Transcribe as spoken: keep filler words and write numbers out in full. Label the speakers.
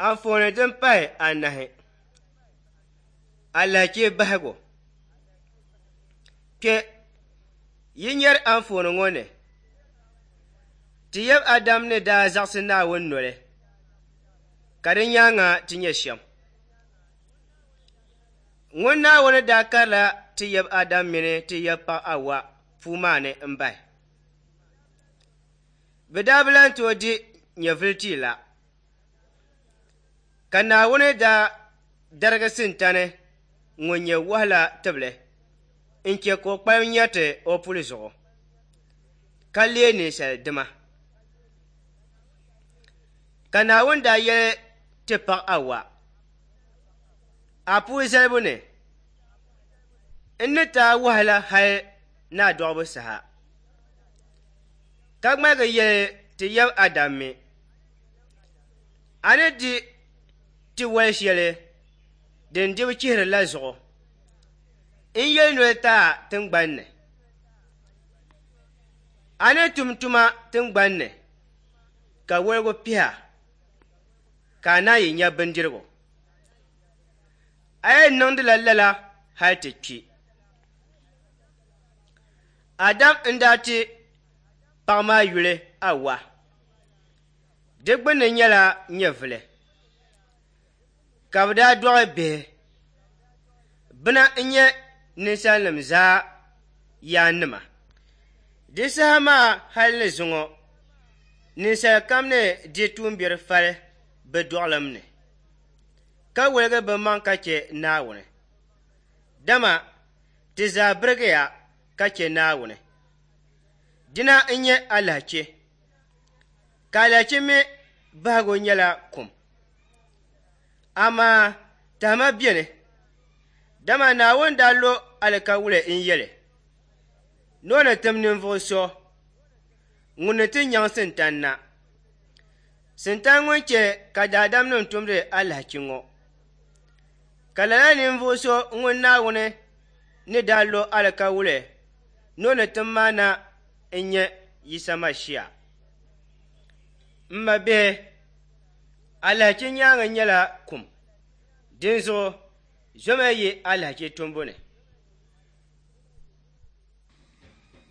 Speaker 1: Anfooni din pahi anahi, alahichi bahigu. Kpe yi nyari anfooni ŋɔ ni, ti yab Adam ni daa zaɣisi Naawuni noli, ka di nyaaŋa ti nyɛ shɛm. Ŋun Naawuni daa karila ti yab Adam mini ti yab paɣa Awa puu maa ni m-bahi. Bɛ daa bi lan tooi di nyɛvili tia la. Ka Naawuni daa darigi Sintani ŋun nyɛ wahala tibili n-che ka o kpalim nyariti o puli zuɣu, ka leei ninsal dima. Ka Naawuni daa yɛli ti paɣa Awa, a puu zalibu ni, n ni ti a wahala hali ni a dɔɣibu saha. Ka ŋmaligi yɛli ti yab Adam mi, a ni di ti wal shɛli din dibu chihiri la zuɣu, n yɛli noli ti a tiŋgbani ni. A ni tum tuma tiŋgbani ni, ka woligu piha, ka a naan yi nya bindirigu. A yɛn niŋdila lala hali ti kpi. Adam n-daa ti paɣa maa yuli Awa. Di gbunni nyɛla nyɛvili. Ka bɛ daa dɔɣi bihi. Bina n-nyɛ ninsalinima zaa yaannima. Di saha maa hali ni zuŋɔ, ninsal kam ni di tuumbiɛri fali bɛ dɔɣilim ni, ka woligi bɛ maŋ ka che Naawuni. Dama ti zaa birigiya ka che Naawuni. Dina n-nyɛ alahichi, ka alahichi mi bahigu nyɛla kum. Amaa tahima beni, dama Naawuni daa lo alikawuli n-yɛli ni o ni tim ninvuɣ so ŋun ni ti nyaŋ Sintani na. Sintani ŋun che ka daadamnim tumdi alahichi ŋɔ. Ka lala ninvuɣ so ŋun Naawuni ni daa lo alikawuli ni o ni tim maa na n-nyɛ Yisa Mashia. M mabihi, alahichi nyaaŋa nyɛla kum, dinzuɣu zomiya yi alahichi tumbu ni.